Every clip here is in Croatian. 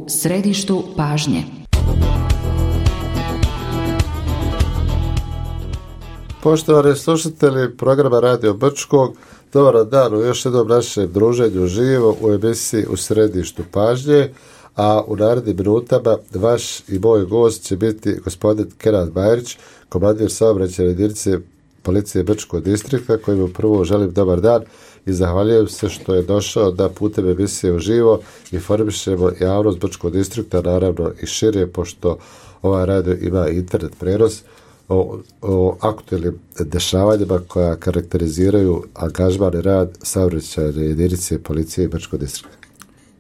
u središtu pažnje. Poštovani slušatelji programa Radio Brčkog, dobar dan u još jednom našem druženju živo u emisiji U središtu pažnje, a u narednim minutama vaš i moj gost će biti gospodin Kenan Bajrić, komandir saobraćajne jedinice policije Brčkog distrikta, kojemu prvo želim dobar dan i zahvaljujem se što je došao da putem emisije uživo informišemo javnost Brčkog distrikta, naravno i šire, pošto ovaj radio ima internet prenos, o aktualnim dešavanjima koja karakteriziraju angažman i rad saobraćajne jedinice policije Brčkog distrikta.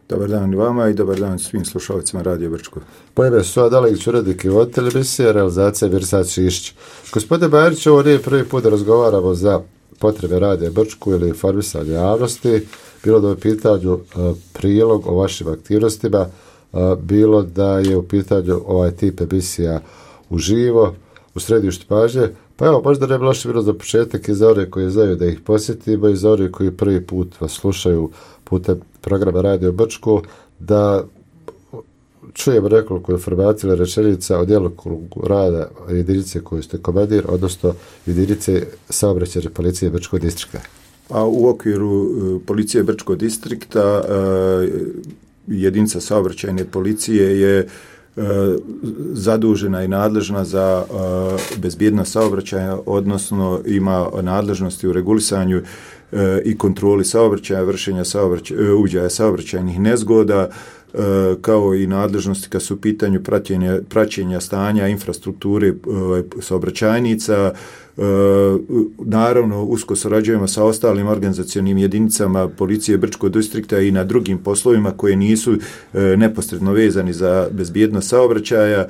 Dobar dan i vama i dobar dan svim slušalcima Radio Brčko. Po ime su Adalić, urednik i voditelj emisije, realizacija Mirsad Šišić. Gospodine Bajrić, ovo nije prvi put da razgovaramo za potrebe Radio Brčku ili informisanje javnosti, bilo da je u pitanju prilog o vašim aktivnostima, bilo da je u pitanju ovaj tip emisija uživo, u središtu pažnje. Pa evo, možda ne bi loše bilo za početak i za one koji znaju da ih posjetimo i za one koji prvi put vas slušaju putem programa Radio Brčko, da čujemo nekoliko informacija ili rečenica o djelokrugu rada jedinice koju ste komandir, odnosno jedinice saobraćajne policije Brčkog distrikta. A u okviru policije Brčkog distrikta jedinica saobraćajne policije je zadužena i nadležna za bezbjednost saobraćaja, odnosno ima nadležnosti u regulisanju i kontroli saobraćaja, vršenja uviđaja saobraćajnih nezgoda, kao i nadležnosti kad su u pitanju praćenja stanja infrastrukture saobraćajnica. Naravno, usko surađujemo sa ostalim organizacionim jedinicama policije Brčkog distrikta i na drugim poslovima koje nisu neposredno vezani za bezbjednost saobraćaja.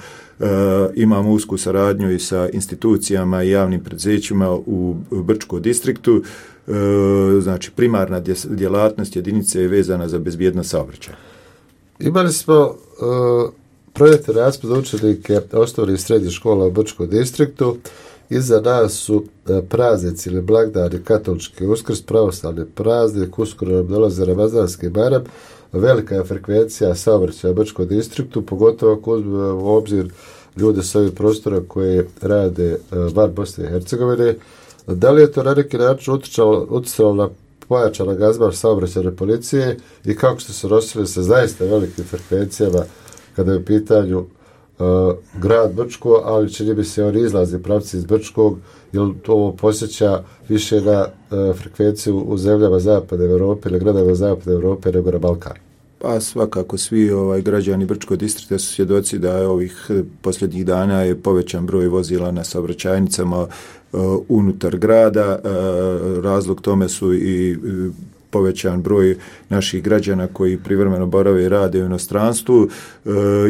Imamo usku saradnju i sa institucijama i javnim preduzećima u Brčkom distriktu. Znači, primarna djelatnost jedinice je vezana za bezbjednost saobraćaja. Imali smo projekte raspad za učenike osnovnih i srednjih škola u Brčkom distriktu. Iza nas su praznici ili blagdani, katolički Uskrs, pravoslavni praznik, uskoro nam dolazi Ramazanski Bajram. Velika je frekvencija saobraćaja u Brčkom distriktu, pogotovo ako uzmemo u obzir ljude s ovih prostora koje rade van Bosne i Hercegovine. Da li je to na neki način utjecalo na pojačan angažman saobraćajne policije i kako ste se nosili sa zaista velikim frekvencijama kada je u pitanju grad Brčko, ali čini mi se oni izlazi pravci iz Brčkog, jer to posjeća više na frekvenciju u zemljama Zapadne Europe ili gradovima Zapadne Europe nego na Balkanu? Pa svakako svi građani Brčkog distrikta su svjedoci da je ovih posljednjih dana je povećan broj vozila na saobraćajnicama unutar grada. Razlog tome su i povećan broj naših građana koji privremeno borave i rade u inostranstvu.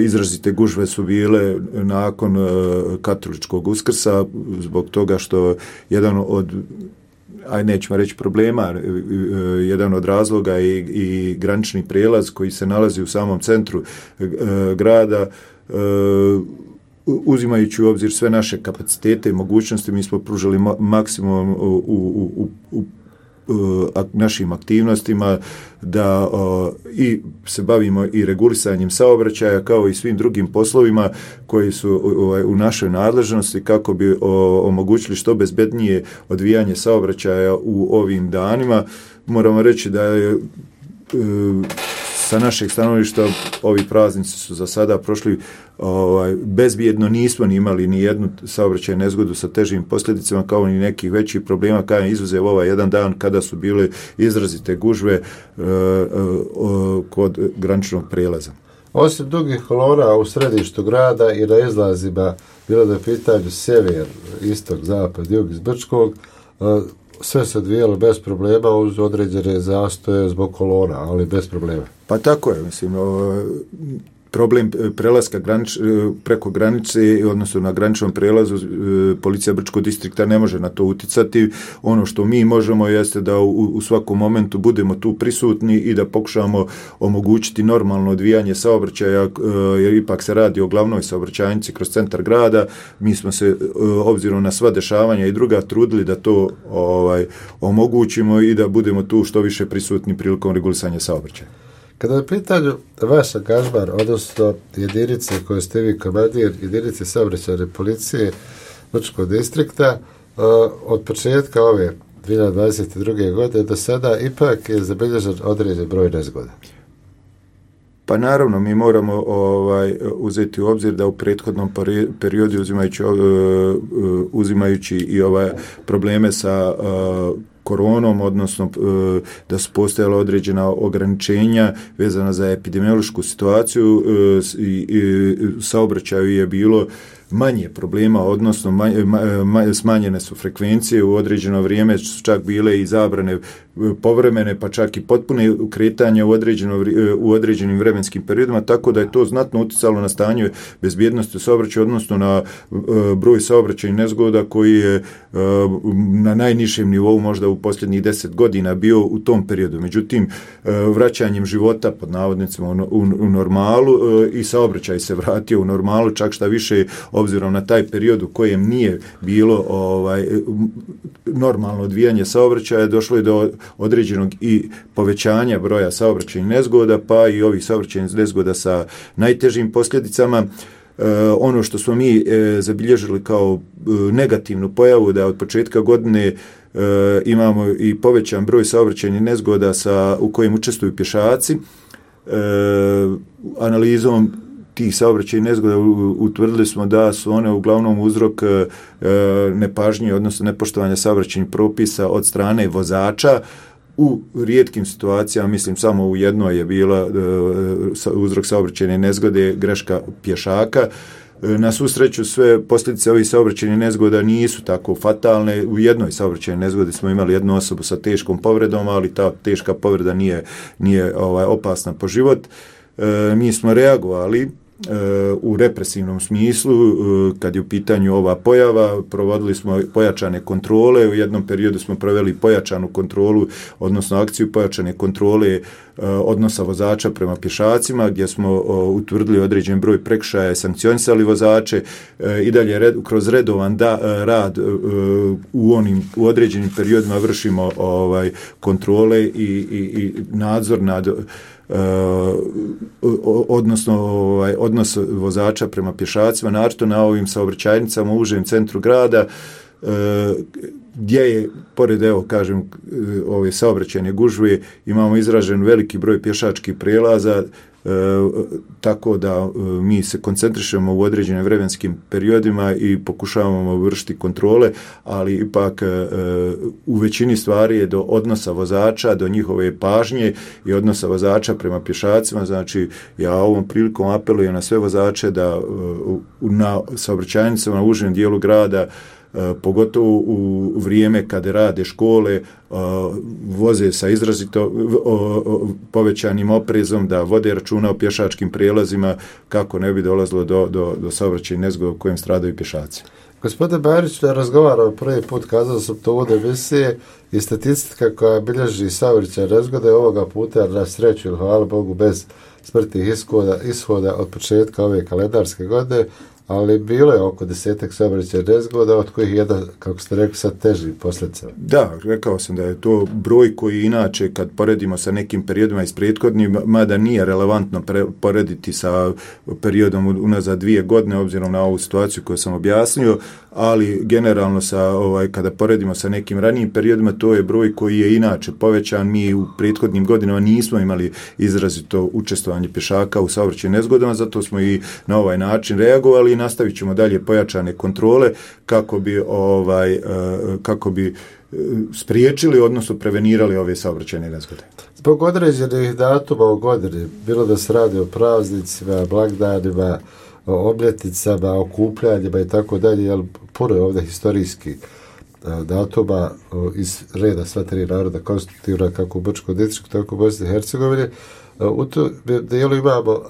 Izrazite gužve su bile nakon katoličkog Uskrsa zbog toga što jedan od, nećemo reći problema, jedan od razloga i granični prijelaz koji se nalazi u samom centru grada. Uzimajući u obzir sve naše kapacitete i mogućnosti, mi smo pružili maksimum u našim aktivnostima da i se bavimo i regulisanjem saobraćaja kao i svim drugim poslovima koji su u našoj nadležnosti kako bi omogućili što bezbednije odvijanje saobraćaja u ovim danima. Moramo reći da je sa našeg stanovišta ovi praznici su za sada prošli bezbjedno, nismo ni imali ni jednu saobraćajnu nezgodu sa težim posljedicama kao ni nekih većih problema, kao izuzev ovaj jedan dan kada su bile izrazite gužve kod graničnog prijelaza. Osim dugih kolona u središtu grada i na izlazima, bilo da je pitanju sjever, istok, zapad, jug iz Brčkog, sve se odvijalo bez problema uz određene zastoje zbog kolona, ali bez problema. Pa tako je, mislim, problem prelaska preko granice, odnosno na graničnom prelazu, policija Brčkog distrikta ne može na to uticati. Ono što mi možemo jeste da u svakom momentu budemo tu prisutni i da pokušamo omogućiti normalno odvijanje saobraćaja, jer ipak se radi o glavnoj saobraćajnici kroz centar grada. Mi smo se, obzirom na sva dešavanja i druga, trudili da to omogućimo i da budemo tu što više prisutni prilikom regulisanja saobraćaja. Kada je pitanju vaš angažman, odnosno jedinice koje ste vi komandir, jedinice saobraćajne policije Brčkog distrikta, od početka ove 2022. godine do sada ipak je zabilježen određen broj nezgoda. Pa naravno, mi moramo uzeti u obzir da u prethodnom periodu uzimajući i ove probleme sa koronom, odnosno da su postojala određena ograničenja vezana za epidemiološku situaciju i saobraćaju je bilo manje problema, odnosno smanjene su frekvencije, u određeno vrijeme su čak bile i zabrane povremene, pa čak i potpune kretanje u određenim vremenskim periodima, tako da je to znatno utjecalo na stanje bezbjednosti saobraćaja, odnosno na broj saobraćajnih nezgoda koji je na najnižem nivou možda u posljednjih 10 godina bio u tom periodu. Međutim, vraćanjem života pod navodnicima u normalu i saobraćaj se vratio u normalu, čak šta više obzirom na taj period u kojem nije bilo normalno odvijanje saobraćaja, došlo je do određenog i povećanja broja saobraćajnih nezgoda, pa i ovih saobraćajnih nezgoda sa najtežim posljedicama. Ono što smo mi zabilježili kao negativnu pojavu, da od početka godine imamo i povećan broj saobraćajnih nezgoda u kojim učestvuju pješaci. Analizom tih saobraćajnih nezgoda utvrdili smo da su one uglavnom uzrok nepažnje, odnosno nepoštovanja saobraćajnih propisa od strane vozača. U rijetkim situacijama, mislim samo u jednoj je bila uzrok saobraćajne nezgode greška pješaka. Na svu sreću sve posljedice ovih saobraćajnih nezgoda nisu tako fatalne. U jednoj saobraćajnoj nezgodi smo imali jednu osobu sa teškom povredom, ali ta teška povreda nije opasna po život. Mi smo reagovali u represivnom smislu kad je u pitanju ova pojava, provodili smo pojačane kontrole, u jednom periodu smo proveli pojačanu kontrolu, odnosno akciju pojačane kontrole odnosa vozača prema pješacima, gdje smo utvrdili određen broj prekršaja i sankcionisali vozače i dalje kroz redovan rad u određenim periodima vršimo kontrole i nadzor nad odnos vozača prema pješacima, naročito na ovim saobraćajnicama u užem centru grada, gdje je, pored ove saobraćajne gužve, imamo izražen veliki broj pješačkih prelaza, tako da mi se koncentrišemo u određenim vremenskim periodima i pokušavamo vršiti kontrole, ali ipak u većini stvari je do odnosa vozača, do njihove pažnje i odnosa vozača prema pješacima. Znači, ja ovom prilikom apelujem na sve vozače da na saobraćajnicama u užem dijelu grada, pogotovo u vrijeme kada rade škole, voze sa izrazito povećanim oprezom, da vode računa o pješačkim prijelazima kako ne bi dolazilo do saobraćajnih nezgoda u kojem stradaju pješaci. Gospodine Barić, da razgovaramo prvi put, kazao sam to u emisije, i statistika koja bilježi saobraćajne nezgode ovoga puta, na sreću ili hvala Bogu, bez smrtnih ishoda od početka ove kalendarske godine, ali bilo je oko 10 saobraćajnih nezgoda, od kojih jedan, kako ste rekli, sad teži posljedicama. Da, rekao sam da je to broj koji inače, kad poredimo sa nekim periodima iz prethodnih, mada nije relevantno porediti sa periodom unazad 2 godine, obzirom na ovu situaciju koju sam objasnio, ali generalno kada poredimo sa nekim ranijim periodima, to je broj koji je inače povećan. Mi u prethodnim godinama nismo imali izrazito učestvovanje pješaka u saobraćajnim nezgodama, zato smo i na ovaj način reagovali i nastavit ćemo dalje pojačane kontrole kako bi spriječili, odnosno prevenirali ove saobraćajne nezgode. Zbog određenih datuma u godini, bilo da se radi o praznicima, blagdanima, o obljetnicama, okupljanjima i tako dalje, jer puno je ovdje historijskih datuma iz reda sva 3 naroda konstitutivna kako u Brčkom distriktu, tako u Bosni i Hercegovini. U tom dijelu imamo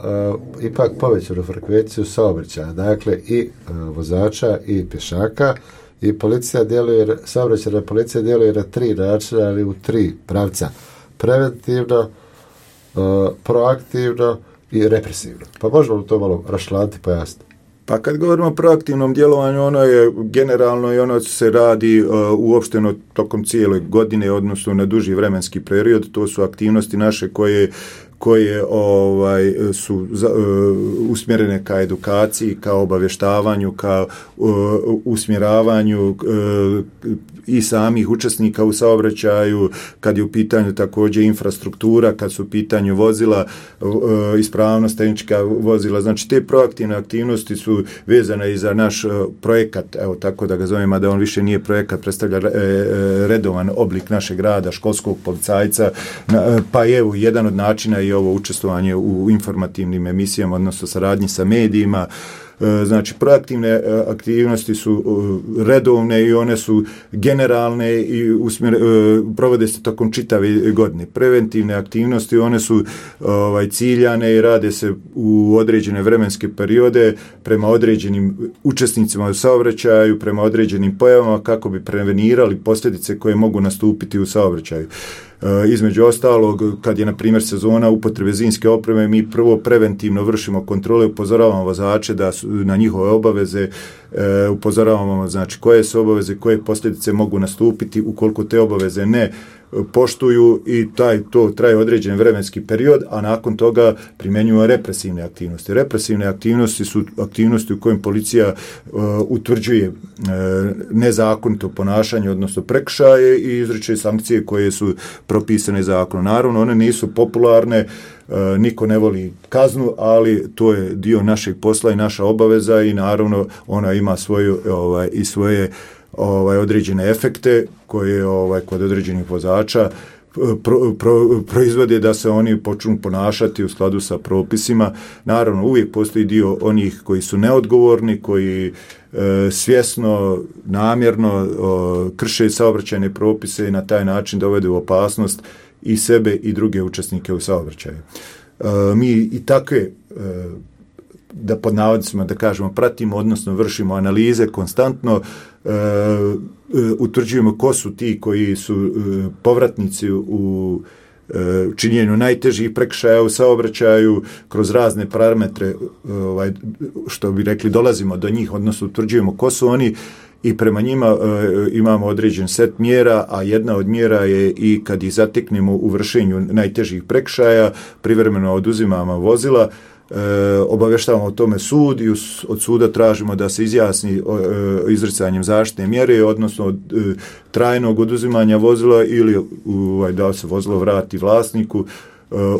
ipak povećanu frekvenciju saobraćaja, dakle i vozača i pješaka, i saobraćajna policija djeluje na 3 načina, ali u 3 pravca: preventivno, proaktivno i represivno. Pa možemo to malo raščlaniti, pojasniti? Pa kad govorimo o proaktivnom djelovanju, ono je generalno i ono se radi uopšteno tokom cijele godine, odnosno na duži vremenski period. To su aktivnosti naše koje koje su usmjerene ka edukaciji, ka obavještavanju, ka usmjeravanju i samih učesnika u saobraćaju, kad je u pitanju također infrastruktura, kad su u pitanju vozila, ispravnost tehnička vozila. Znači te proaktivne aktivnosti su vezane i za naš projekat, evo tako da ga zovemo, da on više nije projekat, predstavlja redovan oblik našeg rada, školskog policajca, pa je evo jedan od načina i ovo učestvovanje u informativnim emisijama, odnosno saradnji sa medijima. Znači, proaktivne aktivnosti su redovne i one su generalne i provode se tokom čitave godine. Preventivne aktivnosti, one su ciljane i rade se u određene vremenske periode prema određenim učesnicima u saobraćaju, prema određenim pojavama kako bi prevenirali posljedice koje mogu nastupiti u saobraćaju. Između ostalog, kad je na primjer sezona upotrebe zimske opreme, mi prvo preventivno vršimo kontrole, upozoravamo vozače da su na njihove obaveze, upozoravamo znači koje su obaveze, koje posljedice mogu nastupiti ukoliko te obaveze ne poštuju, i to traje određen vremenski period, a nakon toga primjenjujemo represivne aktivnosti. Represivne aktivnosti su aktivnosti u kojim policija utvrđuje nezakonito ponašanje, odnosno prekršaje, i izriče sankcije koje su propisane zakonom. Naravno, one nisu popularne, niko ne voli kaznu, ali to je dio našeg posla i naša obaveza, i naravno ona ima svoje određene efekte koje kod određenih vozača proizvode da se oni počnu ponašati u skladu sa propisima. Naravno, uvijek postoji dio onih koji su neodgovorni, koji svjesno, namjerno krše saobraćajne propise i na taj način dovode u opasnost i sebe i druge učesnike u saobraćaju. Mi i takve, da pod navodnicima da kažemo, pratimo, odnosno vršimo analize konstantno, utvrđujemo ko su ti koji su povratnici u činjenju najtežih prekršaja u saobraćaju, kroz razne parametre, što bi rekli, dolazimo do njih, odnosno utvrđujemo ko su oni i prema njima imamo određen set mjera, a jedna od mjera je i kad ih zateknemo u vršenju najtežih prekršaja, privremeno oduzimamo vozila, obavještavamo o tome sud i od suda tražimo da se izjasni izricanjem zaštitne mjere, odnosno trajnog oduzimanja vozila ili da se vozilo vrati vlasniku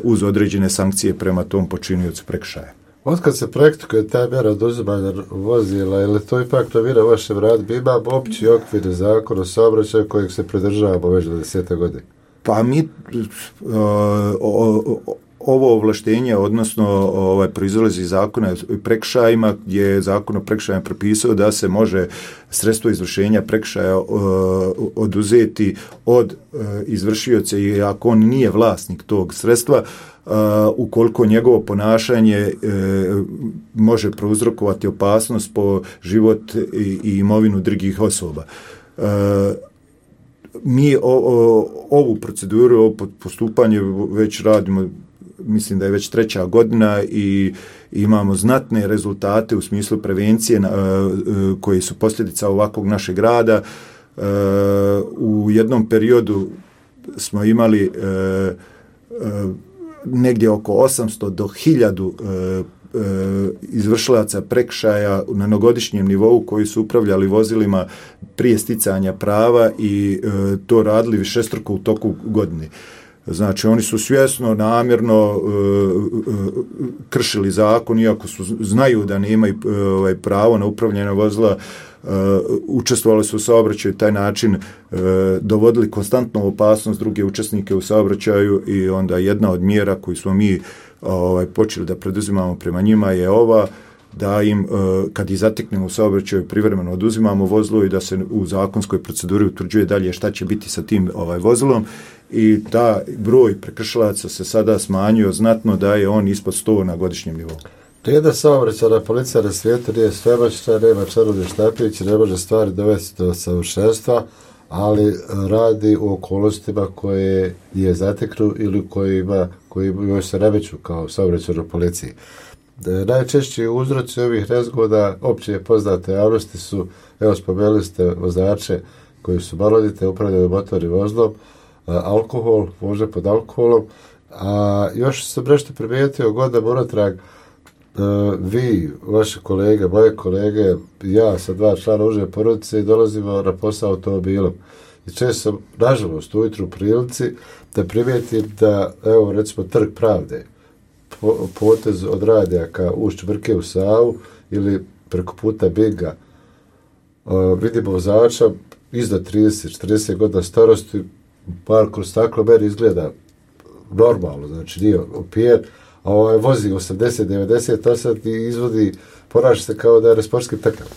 uz određene sankcije prema tom počiniocu prekršaja. Otkad se praktikuje ta mjera oduzimanja vozila, ili to ipak novina u vašem radu? Mi imamo opći okvir zakon o saobraćaju kojeg se pridržavamo već 20 godina. Pa mi ovo ovlaštenje, odnosno proizlazi iz zakona o prekršajima, gdje je zakon o prekršajima propisao da se može sredstvo izvršenja prekršaja oduzeti od izvršioca, i ako on nije vlasnik tog sredstva, ukoliko njegovo ponašanje može prouzrokovati opasnost po život i imovinu drugih osoba. Mi ovu proceduru, ovo postupanje već radimo, mislim da je već 3. godina, i imamo znatne rezultate u smislu prevencije koji su posljedica ovakvog našeg rada. U jednom periodu smo imali negdje oko 800 do 1000 izvršilaca prekršaja na jednogodišnjem nivou koji su upravljali vozilima prije sticanja prava i to radili višestruko u toku godine. Znači, oni su svjesno, namjerno kršili zakon, iako znaju da nemaju pravo na upravljanje vozila, učestvovali su u saobraćaju, taj način dovodili konstantnu opasnost druge učesnike u saobraćaju, i onda jedna od mjera koju smo mi počeli da preduzimamo prema njima je ova, da im, kad ih zateknemo u saobraćaju, privremeno oduzimamo vozilo i da se u zakonskoj proceduri utvrđuje dalje šta će biti sa tim vozilom, i ta broj prekršilaca se sada smanjio znatno, da je on ispod 100 na godišnjem nivou. Nijedna saobraćajna policija na svijetu nije svemoćna, nema čarobni štapić, ne može stvari dovesti do savršenstva, ali radi u okolnostima koje je zateknu ili koji se nameću kao saobraćajnoj policiji. Najčešći uzroci ovih nezgoda, opće poznate javnosti, su, evo spomenuli ste vozače koji su maloljetni, upravljaju motornim vozilom, alkohol, vožnja pod alkoholom, A još sam nešto primijetio godinama unatrag, vi, vaše kolege, moje kolege, ja sa 2 člana uže porodice dolazimo na posao automobilom. I često sam, nažalost, ujutru u prilici da primijetim da, evo, recimo, Trg Pravde, potez od Radijaka ušću Brke u Savu ili preko puta Binga, vidimo vozača iznad 30-40 godina starosti, par kroz staklo meni izgleda normalno, znači nije opijen, a vozi 80-90 i izvodi, ponaša se kao da je na sportskim trkama.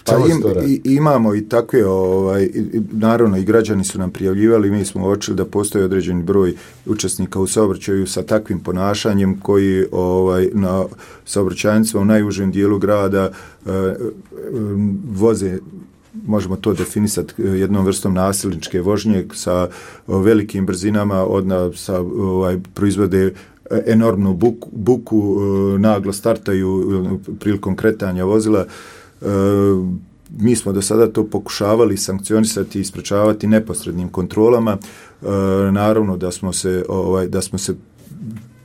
Pa imamo i takve, naravno i građani su nam prijavljivali, mi smo uočili da postoji određeni broj učesnika u saobraćaju sa takvim ponašanjem koji na saobraćajnicama u najužem dijelu grada voze, možemo to definisati jednom vrstom nasilničke vožnje sa velikim brzinama, proizvode enormnu buku, naglo startaju prilikom kretanja vozila. Mi smo do sada to pokušavali sankcionisati i sprečavati neposrednim kontrolama. Naravno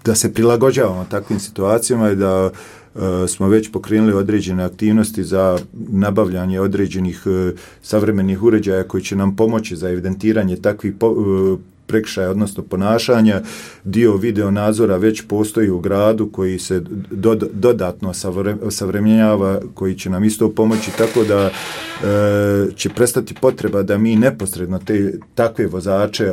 da se prilagođavamo takvim situacijama i da smo već pokrenuli određene aktivnosti za nabavljanje određenih savremenih uređaja koji će nam pomoći za evidentiranje takvih prekršaja, odnosno ponašanja. Dio video nadzora već postoji u gradu koji se dodatno savremenjava, koji će nam isto pomoći, tako da će prestati potreba da mi neposredno takve vozače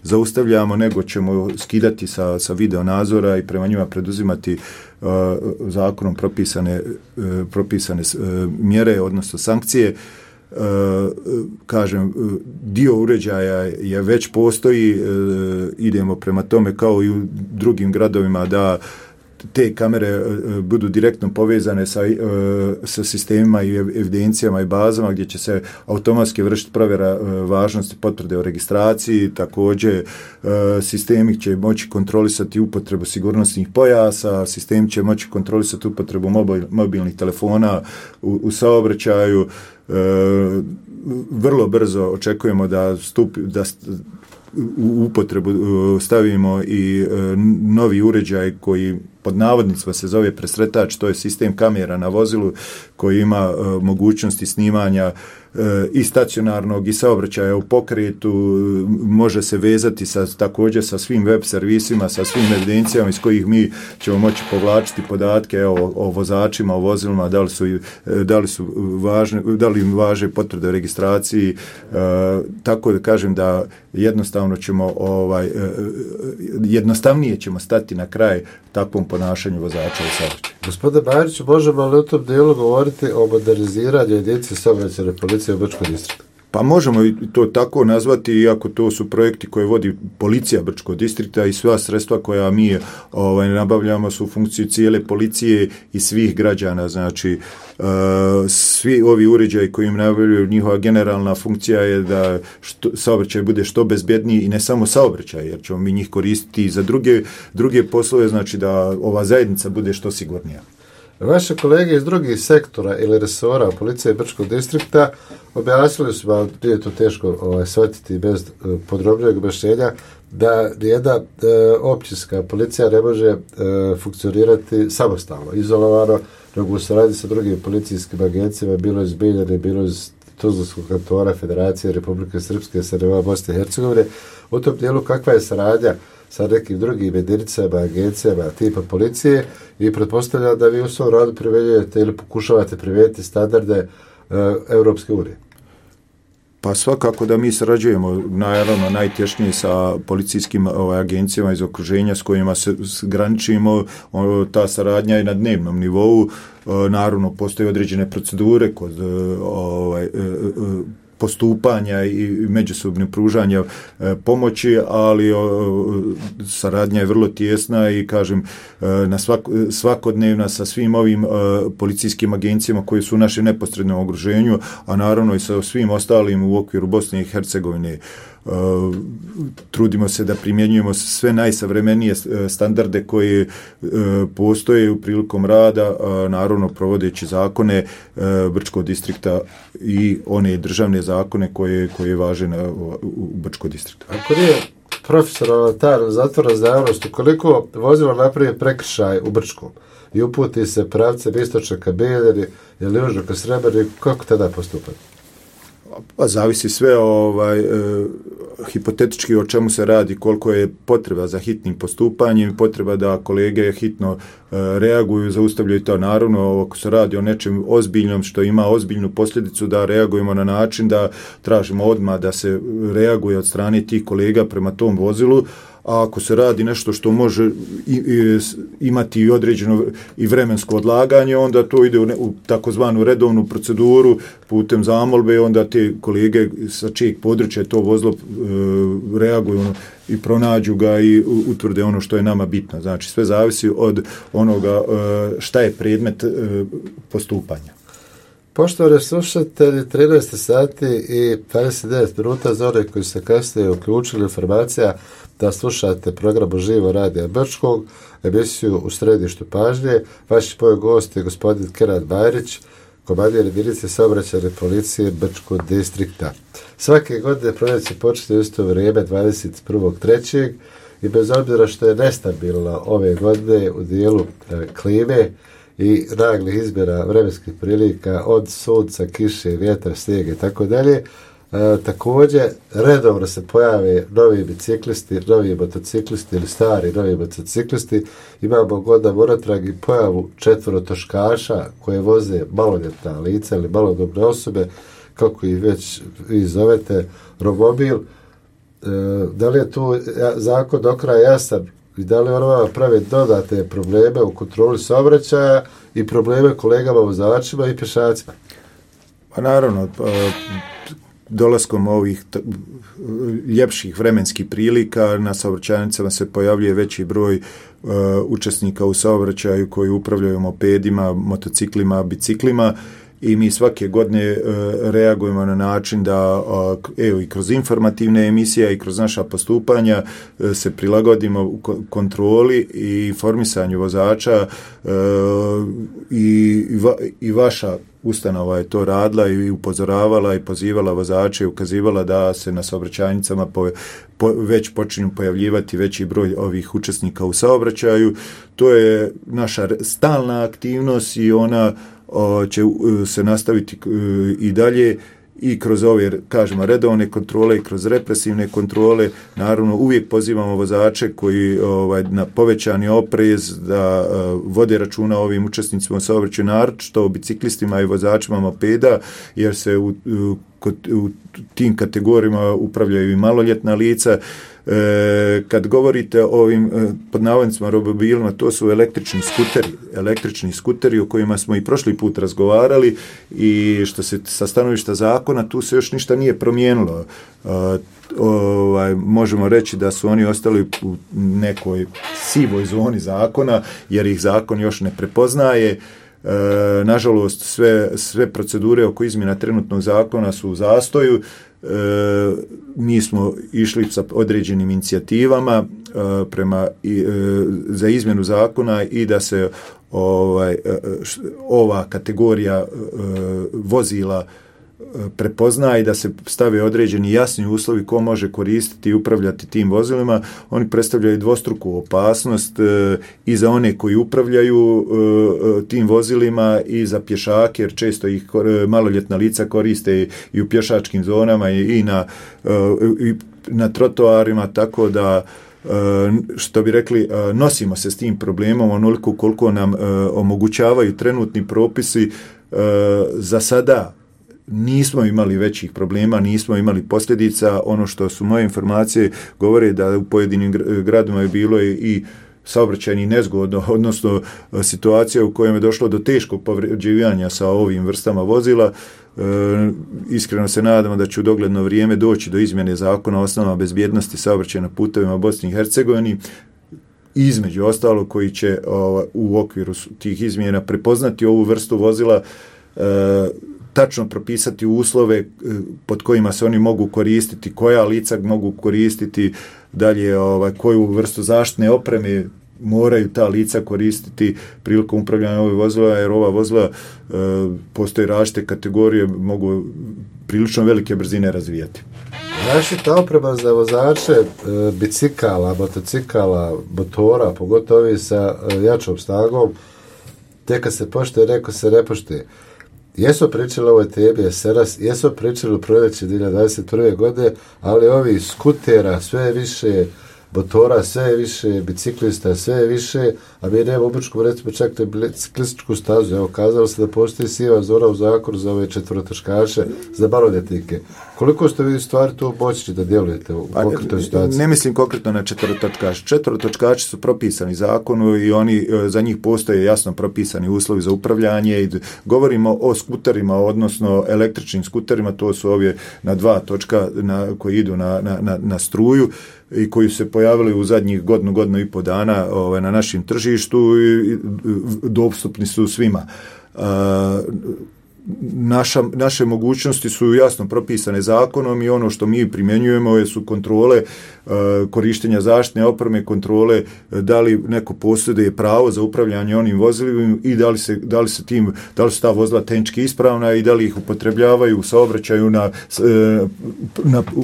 zaustavljamo, nego ćemo skidati sa video nadzora i prema njima preduzimati zakonom propisane mjere, odnosno sankcije. Kažem, dio uređaja je već postoji, idemo prema tome kao i u drugim gradovima da te kamere budu direktno povezane sa sistemima i evidencijama i bazama gdje će se automatski vršiti provjera važnosti potvrde o registraciji. Također sistemi će moći kontrolisati upotrebu sigurnosnih pojasa, sistem će moći kontrolisati upotrebu mobilnih telefona u saobraćaju. Vrlo brzo očekujemo da u upotrebu stavimo i novi uređaj koji pod navodnicima se zove presretač, to je sistem kamera na vozilu koji ima mogućnosti snimanja i stacionarnog i saobraćaja u pokretu, može se vezati također sa svim web servisima, sa svim evidencijama iz kojih mi ćemo moći povlačiti podatke o vozačima, o vozilima, da li im važe potvrde o registraciji, tako da kažem da jednostavno ćemo jednostavnije ćemo stati na kraj takvom ponašanju vozača u saobraćaju. Gospodine Bajriću, možemo li u tom dijelu govoriti o moderniziranju jedinice saobraćajne policije u Brčkom distriktu? Pa možemo i to tako nazvati, iako to su projekti koje vodi policija Brčkog distrikta i sva sredstva koja mi nabavljamo su u funkciji cijele policije i svih građana. Znači, svi ovi uređaji koji im nabavljaju, njihova generalna funkcija je da saobraćaj bude što bezbjedniji i ne samo saobraćaj, jer ćemo mi njih koristiti i za druge poslove, znači da ova zajednica bude što sigurnija. Vaše kolege iz drugih sektora ili resora policije Brčkog distrikta objasnili su vam, nije to teško shvatiti bez podrobnijeg objašnjenja, da nijedna općinska policija ne može funkcionirati samostalno, izolovano, nego u saradnji sa drugim policijskim agencijama, bilo iz Biljane, bilo iz Tuzlanskog kantona, Federacije Republike Srpske, SNV Bosne i Hercegovine. U tom dijelu kakva je saradnja sa nekim drugim jedinicama, agencijama tipa policije i pretpostavljam da vi u svom radu primenjujete ili pokušavate primijeniti standarde Europske unije. Pa svakako da mi sarađujemo naravno najtješnije sa policijskim agencijama iz okruženja s kojima se graničimo. Ta saradnja je na dnevnom nivou. Naravno postoje određene procedure kod postupanja i međusobnog pružanja pomoći, ali saradnja je vrlo tijesna i kažem svakodnevna sa svim ovim policijskim agencijama koji su u našem neposrednom okruženju, a naravno i sa svim ostalim u okviru Bosne i Hercegovine. Trudimo se da primjenjujemo sve najsavremenije standarde koje postoje u prilikom rada, naravno provodeći zakone Brčkog distrikta i one državne zakone koje važe u Brčkog distriktu. Ako nije profesionalna tajna zatvora za javnost, ukoliko vozilo napravi prekršaj u Brčkom i uputi se pravcem istočne ka Beljari ili južno ka Srebrniku, kako tada postupati? Pa zavisi sve hipotetički o čemu se radi, koliko je potreba za hitnim postupanjem, potreba da kolege hitno reaguju, zaustavljaju to. Naravno, ako se radi o nečem ozbiljnom što ima ozbiljnu posljedicu, da reagujemo na način da tražimo odmah da se reaguje od strane tih kolega prema tom vozilu, a ako se radi nešto što može imati i određeno i vremensko odlaganje, onda to ide u takozvanu redovnu proceduru putem zamolbe, onda te kolege sa čijeg područja to vozilo reaguju i pronađu ga i utvrde ono što je nama bitno. Znači, sve zavisi od onoga šta je predmet postupanja. Poštovani slušatelji, 13 sati i 29 minuta za one koji se kasnije uključili, informacija da slušate program Živo radija Brčkog, emisiju U središtu pažnje. Vaš moj gost je gospodin Kenan Bajrić, komandir jedinice saobraćajne policije Brčkog distrikta. Svake godine proljeće počne u isto vrijeme 21.3. i bez obzira što je nestabilno ove godine u dijelu klime i naglih izmjena vremenskih prilika od sunca, kiše, vjetra, snijega i tako dalje, također redovno se pojave novi biciklisti, novi motociklisti ili stari novi motociklisti. Imamo godina unatrag i pojavu četvorotoškaša koje voze maloljetna lica ili malodobne osobe, kako ih već vi zovete, romobil. Da li je tu zakon do kraja jasan i da li on vama pravi dodatne probleme u kontroli saobraćaja i probleme kolegama vozačima i pješacima? Pa naravno, dolaskom ovih ljepših vremenskih prilika na saobraćajnicama se pojavljuje veći broj učesnika u saobraćaju koji upravljaju mopedima, motociklima, biciklima i mi svake godine reagujemo na način da i kroz informativne emisije i kroz naša postupanja se prilagodimo u kontroli i informisanju vozača i vaša ustanova je to radila i upozoravala i pozivala vozače i ukazivala da se na saobraćajnicama već počinju pojavljivati veći broj ovih učesnika u saobraćaju. To je naša stalna aktivnost i ona će se nastaviti i dalje i kroz ove, kažemo, redovne kontrole i kroz represivne kontrole. Naravno, uvijek pozivamo vozače koji na povećani oprez da vode računa o ovim učesnicima u saobraćaju, naročito o biciklistima i vozačima mopeda, jer se u tim kategorijama upravljaju i maloljetna lica. Kad govorite o ovim pod navodnicima romobilima, to su električni skuteri o kojima smo i prošli put razgovarali i što se sa stanovišta zakona tu se još ništa nije promijenilo. Možemo reći da su oni ostali u nekoj sivoj zoni zakona jer ih zakon još ne prepoznaje. Nažalost, sve procedure oko izmjena trenutnog zakona su u zastoju. Mi smo išli sa određenim inicijativama za izmjenu zakona i da se ova kategorija vozila prepozna i da se stave određeni jasni uslovi ko može koristiti i upravljati tim vozilima. Oni predstavljaju dvostruku opasnost i za one koji upravljaju tim vozilima i za pješake, jer često ih maloljetna lica koriste i u pješačkim zonama i na trotoarima, tako da što bi rekli, nosimo se s tim problemom onoliko koliko nam omogućavaju trenutni propisi. Za sada nismo imali većih problema, nismo imali posljedica. Ono što su moje informacije govore da u pojedinim gradovima je bilo i saobraćajnih nezgoda, odnosno situacija u kojoj je došlo do teškog povređivanja sa ovim vrstama vozila. Iskreno se nadamo da će u dogledno vrijeme doći do izmjene zakona o osnovama bezbjednosti saobraćaja na putevima Bosni i Hercegovini, između ostalo koji će u okviru tih izmjena prepoznati ovu vrstu vozila, tačno propisati uslove pod kojima se oni mogu koristiti, koja lica mogu koristiti, dalje koju vrstu zaštitne opreme moraju ta lica koristiti prilikom upravljanja ovih vozila, jer ova vozila postoje različite kategorije, mogu prilično velike brzine razvijati. Zaštita oprema za vozače bicikala, motocikala, motora, pogotovo ovi sa jačom snagom, tek kad se poštuje, neko se ne poštuje. Jesu pričali o ovoj temi jeseras, jesu pričali o proljeći 2021. godine, ali ovi skutera sve više, motora sve više, biciklista sve više, a mi nemamo u Brčkom recimo čak biciklističku stazu. Evo, kazalo se da postoji siva zona u zakonu za ove četvrtotočkaše, za maloljetnike. Koliko ste vi u stvari tu moćni da djelujete u konkretnoj situaciji? Ne mislim konkretno na četvrtotočkaše. Četvrtotočkaši su propisani zakonu i oni, za njih postoje jasno propisani uslovi za upravljanje i govorimo o skuterima, odnosno električnim skuterima, to su ove na 2 točka koji idu na struju i koji su se pojavili u zadnjih godinu i po dana na našem tržištu i dostupni su svima. Naše mogućnosti su jasno propisane zakonom i ono što mi primjenjujemo su kontrole korištenja zaštitne opreme, kontrole da li neko posjeduje pravo za upravljanje onim vozilima i da li su ta vozila tehnički ispravna i da li ih upotrebljavaju u saobraćaju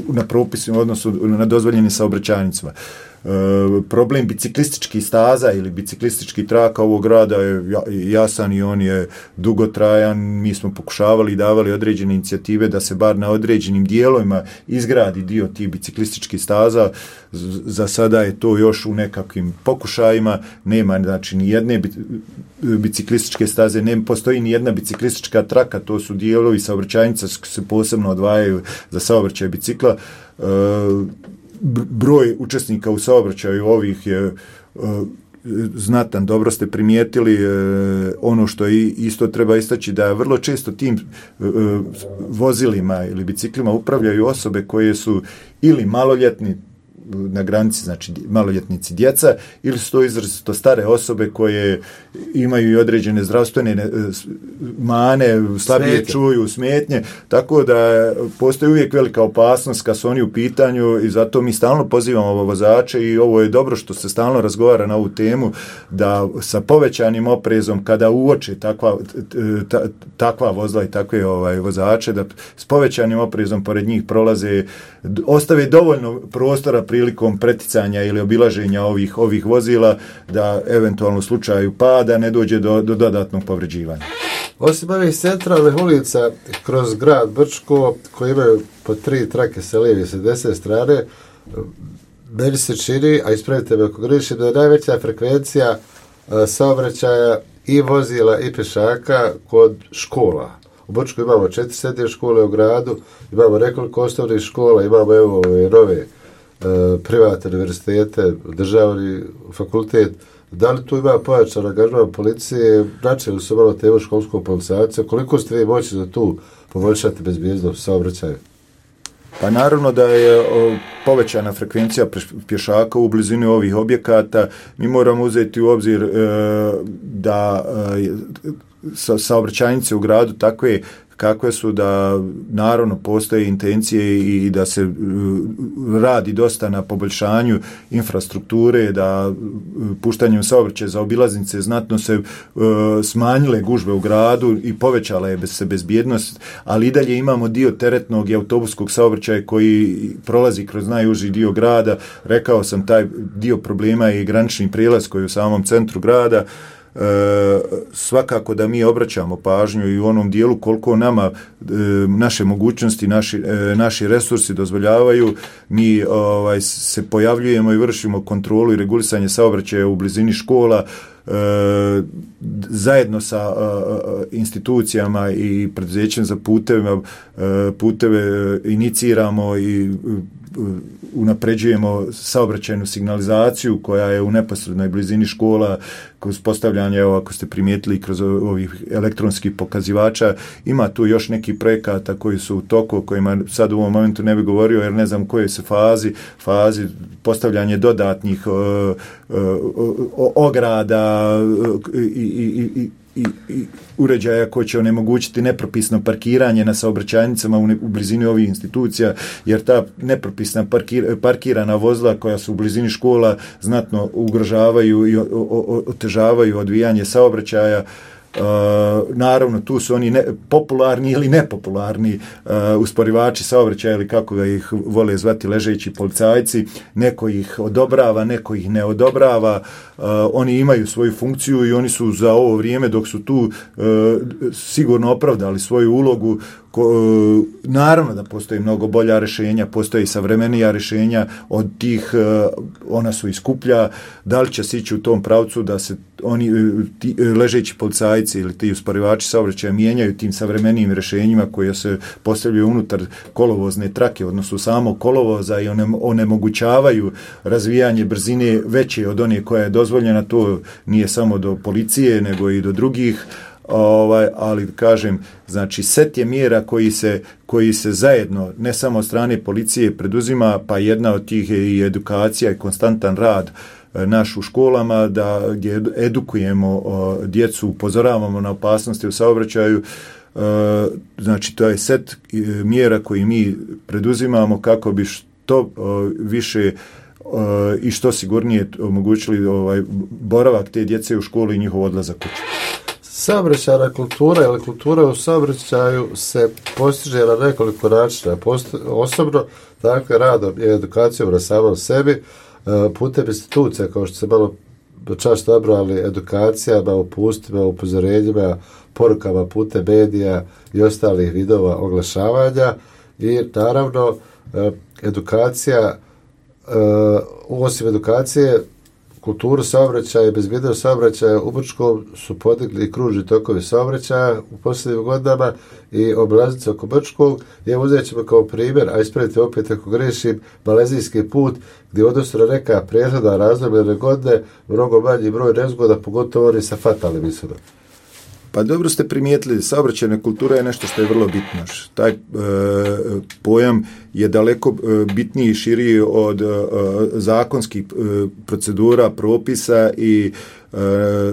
na propisima, odnosno na dozvoljenim saobraćajnicama. Problem biciklističkih staza ili biciklističkih traka ovog grada je jasan i on je dugotrajan. Mi smo pokušavali i davali određene inicijative da se bar na određenim dijelovima izgradi dio tih biciklističkih staza. Za sada je to još u nekakvim pokušajima. Nema znači ni jedne biciklističke staze, ne postoji ni jedna biciklistička traka, to su dijelovi saobraćajnica koji se posebno odvajaju za saobraćaj bicikla. Broj učesnika u saobraćaju ovih je znatan, dobro ste primijetili. Ono što isto treba istaći da vrlo često tim vozilima ili biciklima upravljaju osobe koje su ili maloljetni na granici, znači maloljetnici djeca, ili su to izrazito stare osobe koje imaju i određene zdravstvene mane, slabije čuju, smetnje, tako da postoji uvijek velika opasnost kad su oni u pitanju i zato mi stalno pozivamo vozače i ovo je dobro što se stalno razgovara na ovu temu, da sa povećanim oprezom kada uoče takva vozila i takve vozače, da s povećanim oprezom pored njih prolaze, ostave dovoljno prostora prilikom preticanja ili obilaženja ovih vozila, da eventualno u slučaju pada ne dođe do dodatnog povređivanja. Osim ovih centralnih ulica kroz grad Brčko, koji imaju po 3 trake sa lijeve i sa desne strane, meni se čini, a ispravite me ako grešim, da je najveća frekvencija saobraćaja i vozila i pješaka kod škola. U Brčku imamo 4 srednje škole u gradu, imamo nekoliko osnovnih škola, imamo evo nove privatne univerzitete, državni fakultet. Da li tu ima pojačan angažman policije? Načeli su malo temu školskog policajca. Koliko ste vi moći da tu poboljšate bezbjednost saobraćaja? Pa naravno da je povećana frekvencija pješaka u blizini ovih objekata. Mi moramo uzeti u obzir da saobraćajnice u gradu takve kakve su, da naravno postoje intencije i da se radi dosta na poboljšanju infrastrukture, da puštanjem saobraćaja za obilaznice znatno se smanjile gužve u gradu i povećala je se bezbjednost, ali i dalje imamo dio teretnog i autobuskog saobraćaja koji prolazi kroz najuži dio grada. Rekao sam, taj dio problema je i granični prijelaz koji je u samom centru grada. Svakako da mi obraćamo pažnju i u onom dijelu koliko nama naše mogućnosti, naši resursi dozvoljavaju, mi se pojavljujemo i vršimo kontrolu i regulisanje saobraćaja u blizini škola, zajedno sa institucijama i preduzećem za puteve iniciramo i unapređujemo saobraćajnu signalizaciju koja je u neposrednoj blizini škola, kroz postavljanje, ako ste primijetili, kroz ovih elektronskih pokazivača. Ima tu još neki projekata koji su u toku, o kojima sad u ovom momentu ne bi govorio jer ne znam koje se fazi postavljanje dodatnih ograda i uređaja koji će onemogućiti nepropisno parkiranje na saobraćajnicama u blizini ovih institucija, jer ta nepropisna parkirana vozila koja su u blizini škola znatno ugrožavaju i otežavaju odvijanje saobraćaja. naravno tu su oni popularni ili nepopularni usporivači saobraćaja ili kako ga ih vole zvati ležeći policajci, neko ih odobrava, neko ih ne odobrava, oni imaju svoju funkciju i oni su za ovo vrijeme dok su tu sigurno opravdali svoju ulogu. Naravno da postoji mnogo bolja rješenja, postoji savremenija rješenja od tih, ona su i skuplja, da li će se ići u tom pravcu da se oni ležeći policajci ili ti usporivači saobraćaja mijenjaju tim savremenijim rješenjima koje se postavljaju unutar kolovozne trake, odnosno samog kolovoza i onemogućavaju razvijanje brzine veće od one koja je dozvoljena. To nije samo do policije nego i do drugih. Ali kažem, znači set je mjera koji se zajedno, ne samo od strane policije preduzima, pa jedna od tih je i edukacija i konstantan rad naš u školama, gdje edukujemo djecu, upozoravamo na opasnosti u saobraćaju. Znači to je set mjera koji mi preduzimamo kako bi što više i što sigurnije omogućili boravak te djece u školi i njihov odlazak kući. Saobraćajna kultura ili kultura u saobraćaju se postiže na nekoliko načina. Osobno, dakle, radom i edukacijom na samom sebi, putem institucija, kao što se malo často nabrojali, edukacijama, upustima, upozorenjima, porukama putem medija i ostalih vidova oglašavanja i naravno edukacija, osim edukacije, kulturu saobraćaja i bezbjednost saobraćaja u Brčkom su podigli i kružni tokovi saobraćaja u posljednjim godinama i obilaznice oko Brčkog. I evo uzet ćemo kao primjer, a ispravite opet ako grešim, Malezijski put, gdje odnosno na neka prethodna razdoblja godine mnogo manji broj nezgoda, pogotovo oni sa fatalnim ishodom. Pa dobro ste primijetili, saobraćajna kultura je nešto što je vrlo bitno. Taj pojam je daleko bitniji i širiji od zakonskih procedura, propisa i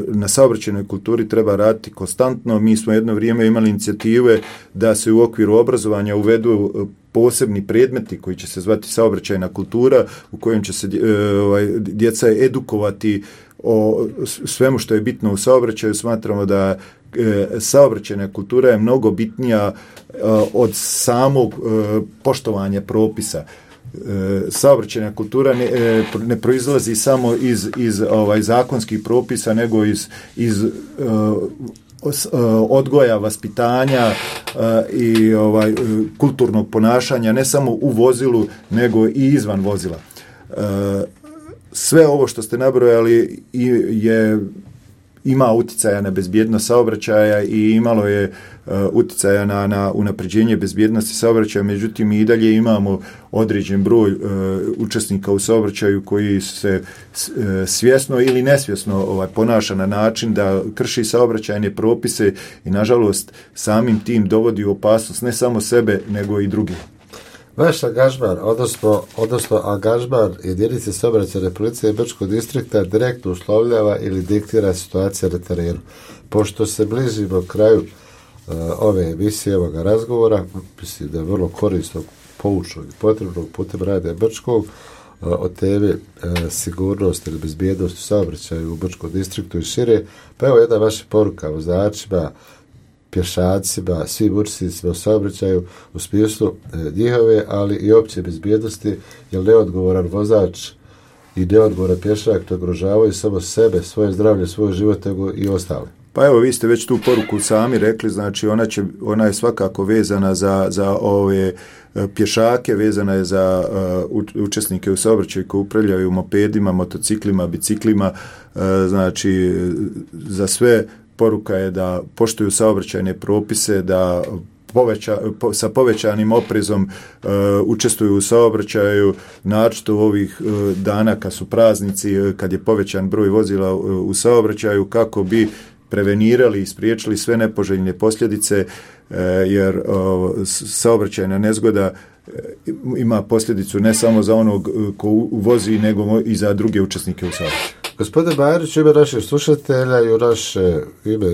na saobraćajnoj kulturi treba raditi konstantno. Mi smo jedno vrijeme imali inicijative da se u okviru obrazovanja uvedu posebni predmeti koji će se zvati saobraćajna kultura, u kojem će se djeca edukovati o svemu što je bitno u saobraćaju. Smatramo da saobraćajna kultura je mnogo bitnija od samog poštovanja propisa. Saobraćajna kultura ne proizlazi samo iz zakonskih propisa, nego iz odgoja, vaspitanja i kulturnog ponašanja, ne samo u vozilu, nego i izvan vozila. Sve ovo što ste nabrojali ima utjecaja na bezbjednost saobraćaja i imalo je utjecaja na unapređenje bezbjednosti saobraćaja, međutim i dalje imamo određen broj učesnika u saobraćaju koji se svjesno ili nesvjesno ponaša na način da krši saobraćajne propise i nažalost samim tim dovodi u opasnost ne samo sebe nego i drugih. Vaš angažman, odnosno angažman jedinice saobraćajne policije Brčkog distrikta direktno uslovljava ili diktira situacija na terenu. Pošto se bližimo kraju ove emisije, ovoga razgovora, mislim da je vrlo korisno, poučno i potrebno putem radija Brčkog o temi sigurnost ili bezbjednost u saobraćaju u Brčkom distriktu i šire. Pa evo jedna vaša poruka vozačima, pješacima, svim učesnicima u saobraćaju u smislu njihove, ali i opće bezbjednosti, jer neodgovoran vozač i neodgovoran pješak ne ugrožavaju samo sebe, svoje zdravlje, svoj život, nego i ostale. Pa evo, vi ste već tu poruku sami rekli, znači ona je svakako vezana za ove pješake, vezana je za učesnike u saobraćaju koji upravljaju mopedima, motociklima, biciklima, znači za sve poruka je da poštuju saobraćajne propise, da sa povećanim oprezom učestvuju u saobraćaju, naročito u ovih dana kad su praznici, kad je povećan broj vozila u saobraćaju, kako bi prevenirali i spriječili sve nepoželjne posljedice, jer saobraćajna nezgoda ima posljedicu ne samo za onog ko vozi, nego i za druge učesnike u saobraćaju. Gospodin Bajarić, u ime naših slušatelja i u naše ime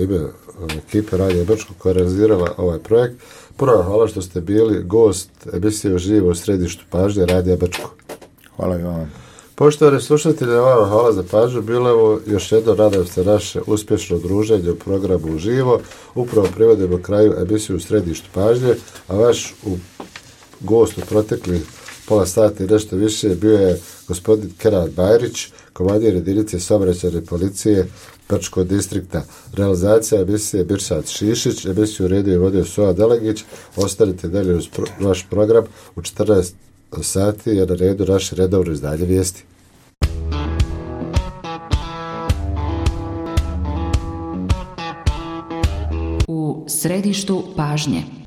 ekipe Radija Brčko koja je realizirala ovaj projekt, prvo hvala što ste bili gost emisije Uživo u središtu pažnje Radija Brčko. Hvala i vam. Poštovani slušatelji, vama hvala za pažnju. Bilo je ovo još jedno, nadam se, naše uspješno druženje u programu Uživo. Upravo privodimo kraju emisiju u središtu pažnje, a vaš gost u proteklih pola sata i nešto više bio je gospodin Kenan Bajrić, komandir jedinice saobraćajne policije Brčkog distrikta. Realizacija emisije Birsat Šišić, emisiju redio i vodio Soa Delegić. Ostanite dalje uz vaš program. U 14 sati je na redu naše redovno izdanje vijesti. U središtu pažnje.